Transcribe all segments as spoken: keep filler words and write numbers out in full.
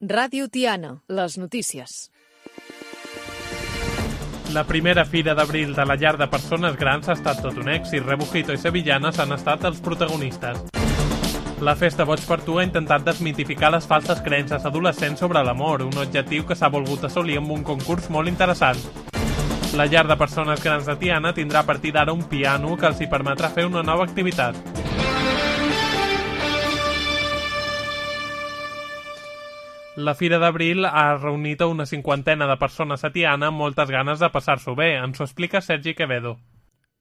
Ràdio Tiana, les notícies. La primera Fira d'Abril de la llar de persones grans ha estat tot un èxit. Rebujito i Sevillanes han estat els protagonistes. La Festa Boig per Tu ha intentat desmitificar les falses creences adolescents sobre l'amor, un objectiu que s'ha volgut assolir amb un concurs molt interessant. La llar de persones grans de Tiana tindrà a partir d'ara un piano que els hi permetrà fer una nova activitat. La Fira d'Abril ha reunit a una cinquantena de persones a Tiana amb moltes ganes de passar-s'ho bé. Ens ho explica Sergi Quevedo.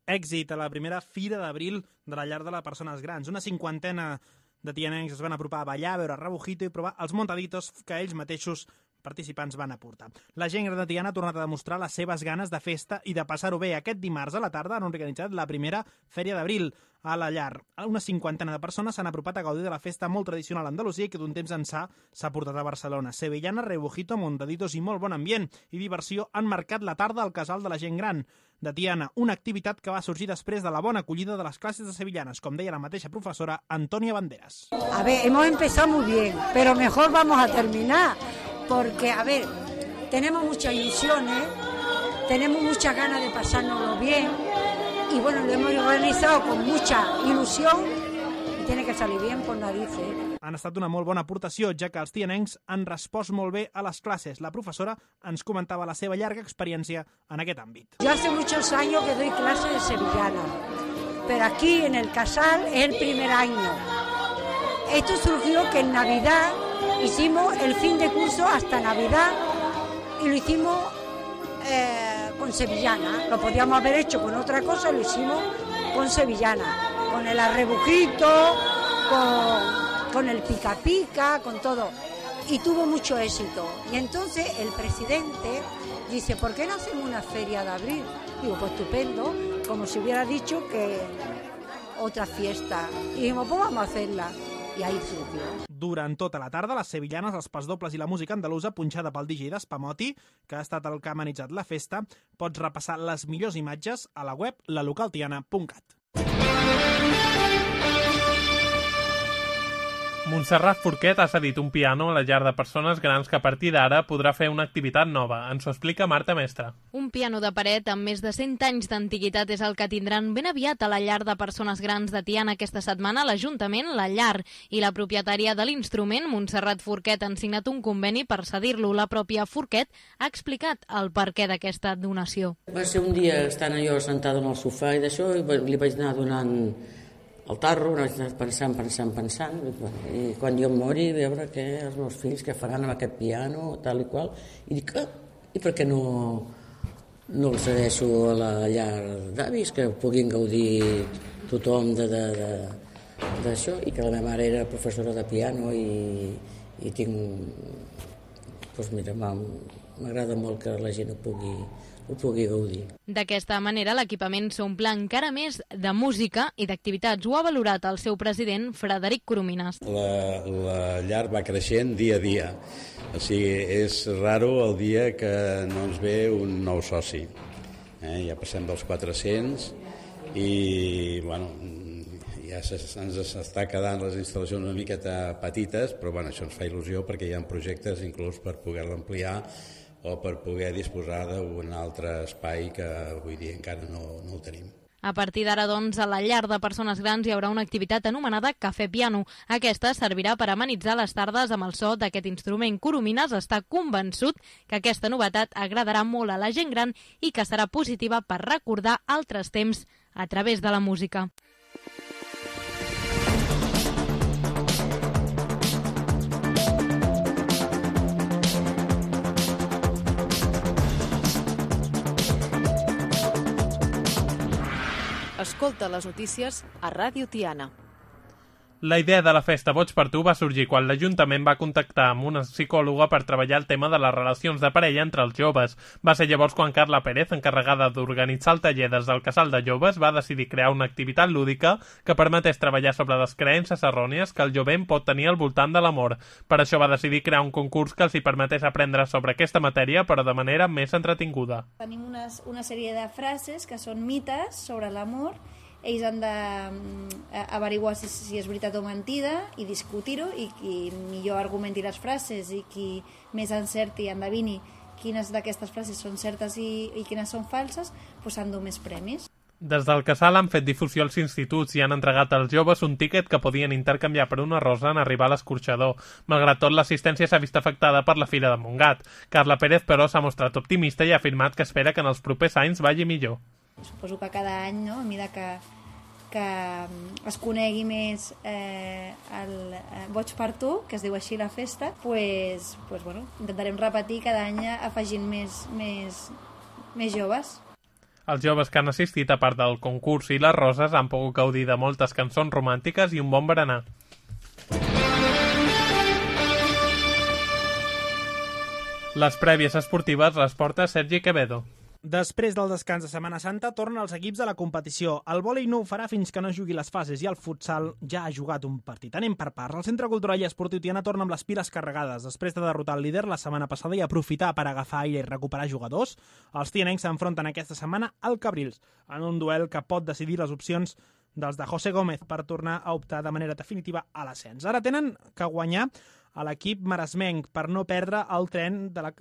Èxit a la primera Fira d'Abril de la llar de les persones grans. Una cinquantena de tianencs es van apropar a ballar, a veure Rebujito i provar els montaditos que ells mateixos participants van aportar. La gent gran de Tiana ha tornat a demostrar les seves ganes de festa i de passar-ho bé. Aquest dimarts a la tarda han organitzat la primera Fèria d'Abril a la llar. Una cinquantena de persones s'han apropat a gaudir de la festa molt tradicional a Andalusia i que d'un temps ençà s'ha portat a Barcelona. Sevillana, Rebujito, montaditos i molt bon ambient i diversió han marcat la tarda al casal de la gent gran de Tiana, una activitat que va sorgir després de la bona acollida de les classes de sevillanes, com deia la mateixa professora Antonia Banderas. A ver, hemos empezado muy bien, pero mejor vamos a terminar, porque, a ver, tenemos muchas ilusiones, tenemos muchas ganas de pasárnoslo bien, y bueno, lo hemos organizado con mucha ilusión, y tiene que salir bien por narices. Han estat una molt bona aportació, ja que els tianencs han respost molt bé a les classes. La professora ens comentava la seva llarga experiència en aquest àmbit. Yo hace muchos años que doy clases de sevillana, pero aquí en el Casal es el primer año. Esto surgió que en Navidad hicimos el fin de curso hasta Navidad y lo hicimos eh, con sevillana. Lo podíamos haber hecho con otra cosa, lo hicimos con sevillana, con el arrebujito, con... con el pica pica, con todo, y tuvo mucho éxito. Y entonces el presidente dice, ¿por qué no hacemos una feria de abril? Digo, pues estupendo, como si hubiera dicho que otra fiesta. Y dijimos, pues vamos a hacerla. I ahí surgió. Durant tota la tarda, les sevillanes, els pasdobles i la música andalusa, punxada pel D J d'Espamoti, que ha estat el que ha amenitzat la festa, pots repassar les millors imatges a la web lalocaltiana punt cat. Montserrat Forquet ha cedit un piano a la llar de persones grans que a partir d'ara podrà fer una activitat nova. Ens ho explica Marta Mestre. Un piano de paret amb més de cent anys d'antiguitat és el que tindran ben aviat a la llar de persones grans de Tiana aquesta setmana. L'Ajuntament, la llar i la propietària de l'instrument, Montserrat Forquet, han signat un conveni per cedir-lo. La pròpia Forquet ha explicat el perquè d'aquesta donació. Va ser un dia estant jo sentada en el sofà i d'això i li vaig anar donant el tarro, vaig anar pensant, pensant, pensant, i quan jo em mori, veure què els meus fills que faran amb aquest piano, tal i qual, i dic, ah, i per què no, no el cedeixo a la llar d'avis, que puguin gaudir tothom d'això, i que la meva mare era professora de piano i, i tinc, doncs mira, m'agrada molt que la gent ho pugui ho pugui gaudir. D'aquesta manera, l'equipament s'omple encara més de música i d'activitats. Ho ha valorat el seu president, Frederic Coromines. La, la llar va creixent dia a dia. O sigui, és raro el dia que no ens ve un nou soci. Eh? Ja passem dels quatre-cents i, bueno, ja ens està quedant les instal·lacions una miqueta petites, però bueno, això ens fa il·lusió perquè hi ha projectes inclús per poder-la ampliar o per poder disposar d'un altre espai que avui dia encara no, no el tenim. A partir d'ara, doncs, a la llar de persones grans hi haurà una activitat anomenada Cafè Piano. Aquesta servirà per amenitzar les tardes amb el so d'aquest instrument. Coromines està convençut que aquesta novetat agradarà molt a la gent gran i que serà positiva per recordar altres temps a través de la música. Escolta les notícies a Ràdio Tiana. La idea de la Festa Boig per Tu va sorgir quan l'Ajuntament va contactar amb una psicòloga per treballar el tema de les relacions de parella entre els joves. Va ser llavors quan Carla Pérez, encarregada d'organitzar el taller des del Casal de Joves, va decidir crear una activitat lúdica que permetés treballar sobre les creences errònies que el jovent pot tenir al voltant de l'amor. Per això va decidir crear un concurs que els hi permetés aprendre sobre aquesta matèria, però de manera més entretinguda. Tenim unes, una sèrie de frases que són mites sobre l'amor ells han d'averiguar si, si és veritat o mentida i discutir-ho, i qui millor argumenti les frases i qui més encerti i endevini quines d'aquestes frases són certes i, i quines són falses, doncs s'endú més premis. Des del Casal han fet difusió als instituts i han entregat als joves un tíquet que podien intercanviar per una rosa en arribar a l'escorxador. Malgrat tot, l'assistència s'ha vist afectada per la Fira de Montgat. Carla Pérez, però, s'ha mostrat optimista i ha afirmat que espera que en els propers anys vagi millor. Suposo que cada any, no, a mesura que, que es conegui més eh, el eh, Boig per tu, que es diu així la festa, pues, pues, bueno, intentarem repetir cada any afegint més, més, més joves. Els joves que han assistit, a part del concurs i les roses, han pogut gaudir de moltes cançons romàntiques i un bon berenar. Les prèvies esportives les porta Sergi Quevedo. Després del descans de Setmana Santa tornen els equips a la competició. El vòlei no ho farà fins que no jugui les fases i el futsal ja ha jugat un partit. Anem per parts. El Centre Cultural i Esportiu Tiana torna amb les piles carregades. Després de derrotar el líder la setmana passada i aprofitar per agafar aire i recuperar jugadors, els tianencs s'enfronten aquesta setmana al Cabrils, en un duel que pot decidir les opcions dels de José Gómez per tornar a optar de manera definitiva a l'ascens. Ara tenen que guanyar a l'equip maresmenc per no perdre el tren de la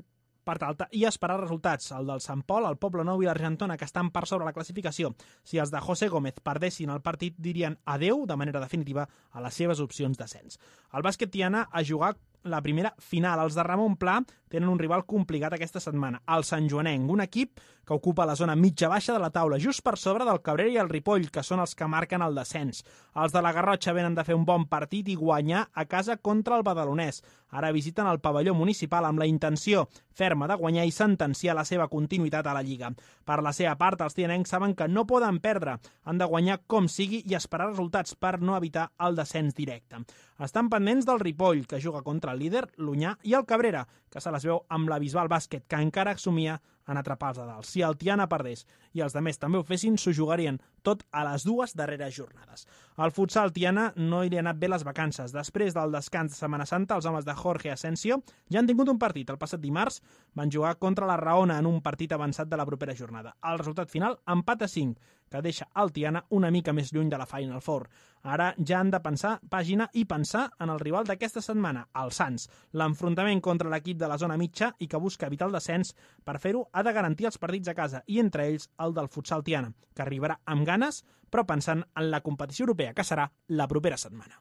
part alta i esperar resultats. El del Sant Pol, el Poble Nou i l'Argentona, que estan per sobre la classificació. Si els de José Gómez perdessin el partit, dirien adeu de manera definitiva a les seves opcions d'ascens. El bàsquet Tiana ha jugat la primera final. Els de Ramon Pla tenen un rival complicat aquesta setmana, el Sant Joanenc, un equip que ocupa la zona mitja-baixa de la taula, just per sobre del Cabrera i el Ripoll, que són els que marquen el descens. Els de la Garrotxa venen de fer un bon partit i guanyar a casa contra el Badalonès. Ara visiten el pavelló municipal amb la intenció ferma de guanyar i sentenciar la seva continuïtat a la Lliga. Per la seva part, els tianencs saben que no poden perdre. Han de guanyar com sigui i esperar resultats per no evitar el descens directe. Estan pendents del Ripoll, que juga contra el líder, l'Unyà, i el Cabrera, que se les veu amb la Bisbal Bàsquet, que encara somia en atrapar els de dalt. Si el Tiana perdés i els demés també ho fessin, s'ho jugarien tot a les dues darreres jornades. Al futsal Tiana no hi ha anat bé les vacances. Després del descans de Setmana Santa, els homes de Jorge Asensio ja han tingut un partit. El passat dimarts van jugar contra la Raona en un partit avançat de la propera jornada. El resultat final, empat a cinc, que deixa el Tiana una mica més lluny de la Final Four. Ara ja han de pensar pàgina i pensar en el rival d'aquesta setmana, el Sants. L'enfrontament contra l'equip de la zona mitja i que busca evitar el descens, per fer-ho ha de garantir els partits a casa i entre ells el del futsal Tiana, que arribarà amb ganes però pensant en la competició europea que serà la propera setmana.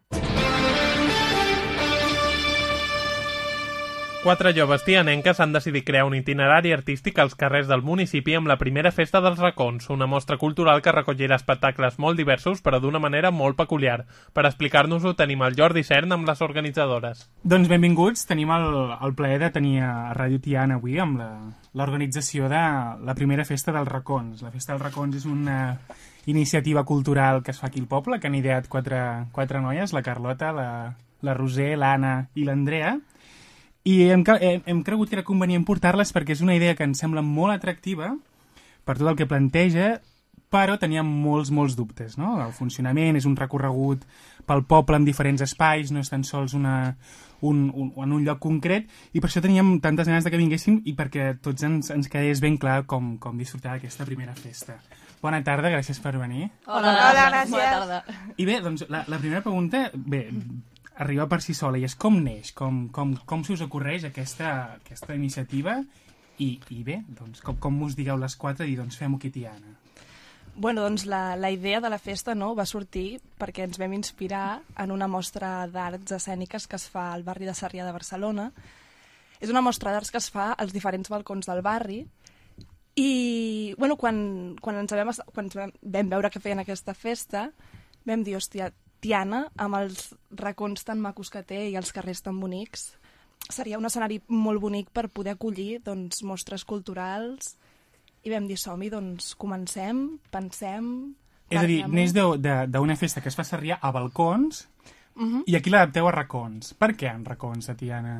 Quatre joves tianenques han decidit crear un itinerari artístic als carrers del municipi amb la primera festa dels racons, una mostra cultural que recollirà espectacles molt diversos però d'una manera molt peculiar. Per explicar-nos-ho tenim el Jordi Cern amb les organitzadores. Doncs benvinguts, tenim el, el plaer de tenir a Ràdio Tiana avui amb l'organització de la primera festa dels racons. La festa dels racons és una iniciativa cultural que es fa aquí al poble, que han ideat quatre, quatre noies, la Carlota, la, la Roser, l'Anna i l'Andrea. I hem, hem, hem cregut que era convenient portar-les perquè és una idea que ens sembla molt atractiva per tot el que planteja, però teníem molts, molts dubtes, no? El funcionament és un recorregut pel poble en diferents espais, no és tan sols una, un, un, en un lloc concret, i per això teníem tantes ganes de que vinguéssim i perquè tots ens, ens quedés ben clar com, com disfrutar d'aquesta primera festa. Bona tarda, gràcies per venir. Hola, Hola gràcies. Bona tarda. I bé, doncs la, la primera pregunta, bé, arriba per si sola, i és com neix, com, com, com se us ocorreix aquesta, aquesta iniciativa, i, i bé, doncs, com, com us digueu les quatre i doncs fem-ho aquí, Tiana. Bueno, doncs la, la idea de la festa, no, va sortir perquè ens vam inspirar en una mostra d'arts escèniques que es fa al barri de Sarrià de Barcelona. És una mostra d'arts que es fa als diferents balcons del barri i bueno, quan, quan, ens vam, quan ens vam veure que feien aquesta festa vam dir, hòstia, Tiana, amb els racons tan macos que té i els carrers tan bonics, seria un escenari molt bonic per poder acollir doncs, mostres culturals. I vam dir, som-hi, doncs comencem, pensem... És a dir, neix d'una festa que es fa a Sarrià a balcons, uh-huh. I aquí l'adapteu a racons. Per què en racons, a Tiana?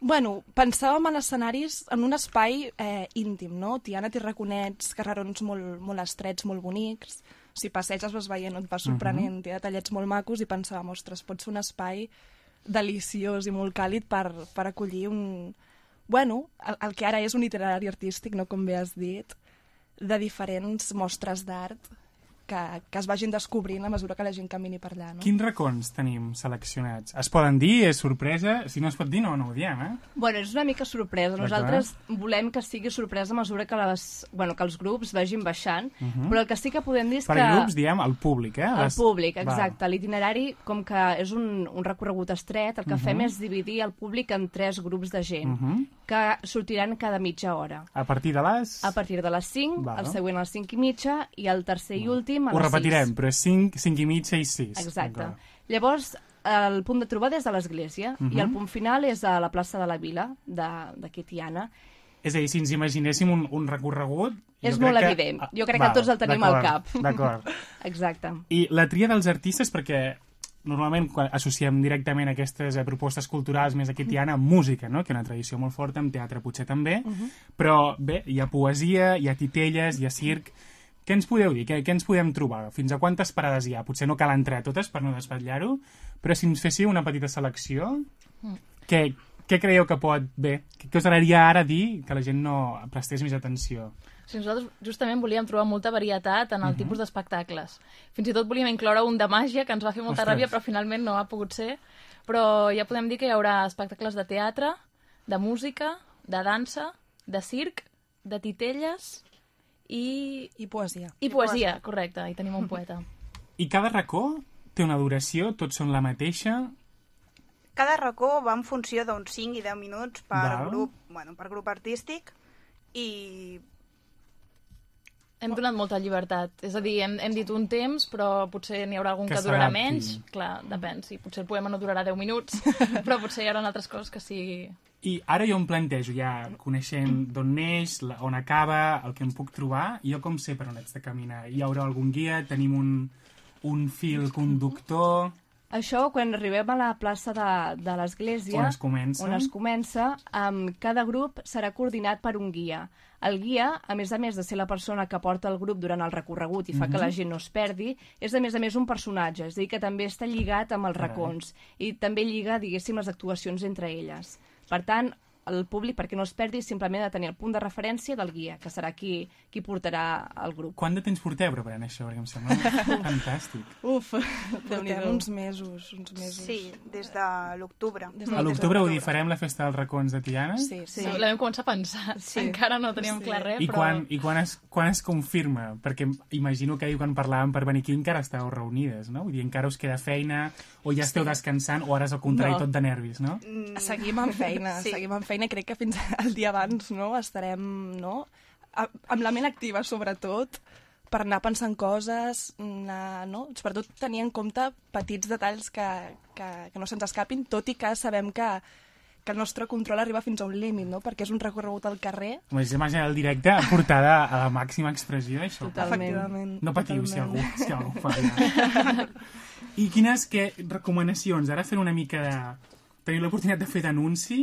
Bueno, pensàvem en escenaris, en un espai eh, íntim, no? Tiana té raconets, carrerons molt, molt estrets, molt bonics. Si passeges vas veient, et vas sorprenent, uh-huh. Té detallets molt macos i pensàvem, ostres, pot ser un espai deliciós i molt càlid per, per acollir un... Bueno, el, el que ara és un itinerari artístic, no, com bé has dit, de diferents mostres d'art que, que es vagin descobrint a mesura que la gent camini per allà. No? Quins racons tenim seleccionats? Es poden dir? És sorpresa? Si no es pot dir, no, no ho diem, eh? Bueno, és una mica sorpresa. Nosaltres volem que sigui sorpresa a mesura que, les, bueno, que els grups vagin baixant, uh -huh. però el que sí que podem dir és per que... Per grups, diem, el públic, eh? El Les... públic, exacte. L'itinerari, com que és un, un recorregut estret, el que uh -huh. fem és dividir el públic en tres grups de gent, uh -huh. que sortiran cada mitja hora. A partir de les... A partir de les cinc, Val. El següent a les cinc i mitja, i el tercer i últim a Ho les sis. Ho repetirem, però és cinc, cinc i mitja i sis. Exacte. Llavors, el punt de trobada és a l'església, uh -huh. i el punt final és a la plaça de la Vila, d'aquí Tiana. És a dir, si ens imaginéssim un, un recorregut... És molt que... evident. Jo crec Val, que tots el tenim al cap. D'acord. Exacte. I la tria dels artistes, perquè normalment quan associem directament aquestes eh, propostes culturals més aquí Tiana amb música, no? Que és una tradició molt forta, amb teatre potser també, uh -huh. però bé, hi ha poesia, hi ha titelles, hi ha circ... Què ens podeu dir? Què, què ens podem trobar? Fins a quantes parades hi ha? Potser no cal entrar a totes per no desvetllar-ho, però si ens féssiu una petita selecció, mm. què, què creieu que pot... Bé, què us agradaria ara dir que la gent no prestés més atenció? Sí, nosaltres justament volíem trobar molta varietat en el uh-huh. tipus d'espectacles. Fins i tot volíem incloure un de màgia, que ens va fer molta Ostres. ràbia, però finalment no ha pogut ser. Però ja podem dir que hi haurà espectacles de teatre, de música, de dansa, de circ, de titelles... I... I poesia. I poesia, correcte, i tenim un poeta. I cada racó té una duració? Tots són la mateixa? Cada racó va en funció d'uns cinc i deu minuts per Val. grup, bueno, per grup artístic, i... Hem donat molta llibertat. És a dir, hem, hem dit un temps, però potser n'hi haurà algun que, que durarà menys. Clar, depèn. Sí, potser el poema no durarà deu minuts, però potser hi haurà altres coses que sí... I ara jo em plantejo, ja coneixent d'on neix, on acaba, el que em puc trobar, jo com sé per on haig de caminar? Hi haurà algun guia? Tenim un, un fil conductor? Això, quan arribem a la plaça de, de l'església, on es comença, on es comença um, cada grup serà coordinat per un guia. El guia, a més a més de ser la persona que porta el grup durant el recorregut i fa mm-hmm. que la gent no es perdi, és a més a més un personatge, és a dir, que també està lligat amb els racons i també lliga, diguéssim, les actuacions entre elles. Per tant, el públic, perquè no es perdi, simplement ha de tenir el punt de referència del guia, que serà qui, qui portarà el grup. Quant de temps porteu preparant això? Perquè em sembla fantàstic. Uf, portem uns mesos, uns mesos. Sí, des de l'octubre. A l'octubre ho farem la festa dels racons de Tiana? Sí, sí. sí. La vam començar a pensar. Sí. Encara no teníem sí. clar res, I però... Quan, I quan es, quan es confirma? Perquè imagino que quan parlàvem per venir aquí encara estàveu reunides, no? Vull dir, encara us queda feina, o ja esteu sí. descansant, o ara és al contrari no. tot de nervis, no? Mm. Seguim amb feina, sí. seguim amb feina i crec que fins el dia abans no, estarem no, amb la ment activa, sobretot, per anar pensant coses, anar, no? sobretot tenir en compte petits detalls que, que, que no se'ns escapin, tot i que sabem que, que el nostre control arriba fins a un límit, no? perquè és un recorregut al carrer. M'haig d'imaginar el directe portada a la màxima expressió, això. Totalment. No patiu Totalment. si algú, si algú fa allà. I quines que, recomanacions? Ara fent una mica de... Teniu l'oportunitat de fer d'anunci,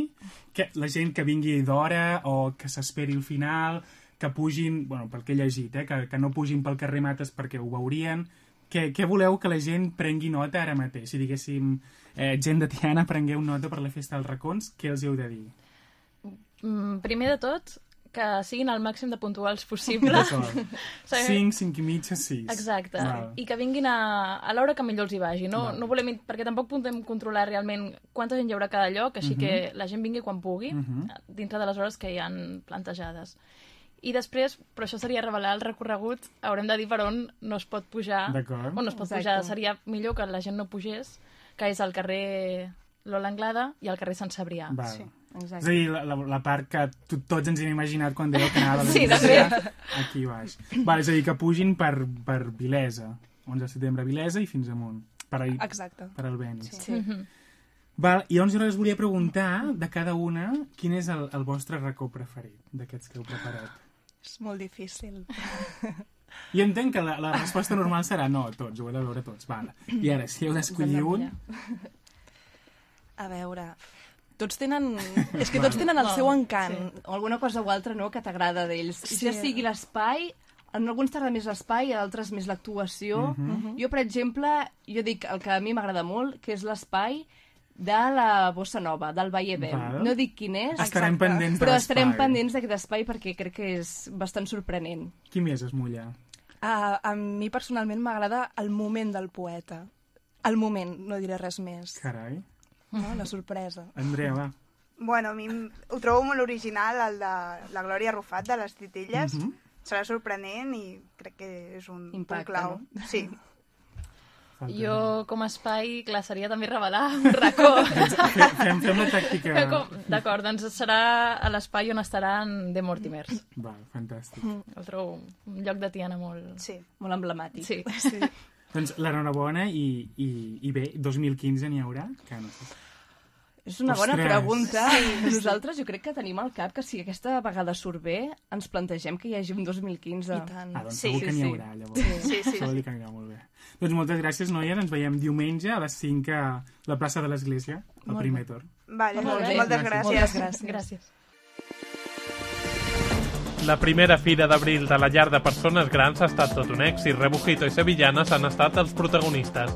que la gent que vingui d'hora o que s'esperi al final, que pugin, bueno, pel que he llegit, eh, que, que no pugin pel carrer Mates perquè ho veurien. Què, què voleu que la gent prengui nota ara mateix? Si diguéssim, eh, gent de Tiana, prengueu nota per la festa dels racons, què els heu de dir? Mm, primer de tot, que siguin el màxim de puntuals possible. cinc, cinc i mitja, sis. Exacte. Val. I que vinguin a, a l'hora que millor els hi vagi. No, no volem, perquè tampoc podem controlar realment quanta gent hi haurà a cada lloc, així uh-huh. que la gent vingui quan pugui, uh-huh. dintre de les hores que hi han plantejades. I després, però això seria revelar el recorregut, haurem de dir per on no es pot pujar. D'acord. On no es pot Exacte. pujar. Seria millor que la gent no pugés, que és al carrer Lola Anglada i al carrer Sant Cebrià. Val. Sí. Exacte. És a dir, la, la, la part que tots ens hem imaginat quan dèieu que anava a sí, l'església, aquí baix. Val, és a dir, que pugin per, per Vilesa, onze de setembre a Vilesa i fins amunt. Per, ahir, Exacte. Per al Benis. Sí. sí. Mm-hmm. Val, i llavors jo us volia preguntar, de cada una, quin és el, el vostre racó preferit d'aquests que heu preparat? És molt difícil. I entenc que la, la resposta normal serà no, tots, ho heu de veure tots. Val. I ara, si heu d'escollir un... A veure... Tots tenen... És que tots tenen el seu encant. Sí. O alguna cosa o altra, no?, que t'agrada d'ells. Sí. Ja sigui l'espai, en alguns t'agrada més l'espai, en altres més l'actuació. Uh-huh. Jo, per exemple, jo dic el que a mi m'agrada molt, que és l'espai de la Bossa Nova, del Valle Vem. No dic quin és, estarem pendents però estarem pendents d'aquest espai perquè crec que és bastant sorprenent. Qui més es mulla? Uh, a mi personalment m'agrada el moment del poeta. El moment, no diré res més. Carai. No? La sorpresa. Andrea, va. Bueno, a mi ho trobo molt original, el de la Glòria Rufat, de les Titilles. Mhm. Serà sorprenent i crec que és un Impacte, punt clau. no? Sí. Jo, com a espai, clar, seria també revelar un racó. Fem, fem la tàctica. Que com- D'acord, doncs serà a l'espai on estaran The Mortimers. Va, fantàstic. El trobo un lloc de Tiana molt... Sí. Molt emblemàtic. Sí. Sí. Doncs l'enhorabona i, i, i bé, dos mil quinze n'hi haurà? Que no sé. És una bona Ostres. pregunta. Nosaltres jo crec que tenim al cap que si aquesta vegada surt bé, ens plantegem que hi hagi un dos mil quinze. I tant. Ah, doncs Sí, segur que sí, n'hi sí. haurà, llavors. Sí, sí, Això vol dir que anirà molt bé. Doncs moltes gràcies, noies. Ens veiem diumenge a les cinc a la plaça de l'Església, al Molt primer bé. torn. Vale, Molt bé. moltes Gràcies. gràcies. Moltes gràcies. Gràcies. La primera Fira d'Abril de la llar de persones grans ha estat tot un èxit. Rebujito i Sevillanes han estat els protagonistes.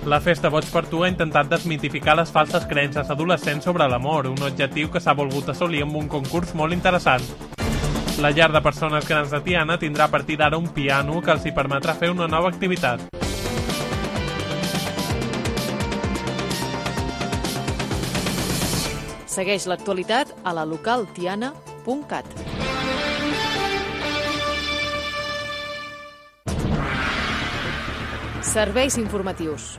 La Festa Boig per Tu ha intentat desmitificar les falses creences adolescents sobre l'amor, un objectiu que s'ha volgut assolir amb un concurs molt interessant. La llar de persones grans de Tiana tindrà a partir d'ara un piano que els hi permetrà fer una nova activitat. Segueix l'actualitat a la local tiana punt cat. Serveis informatius.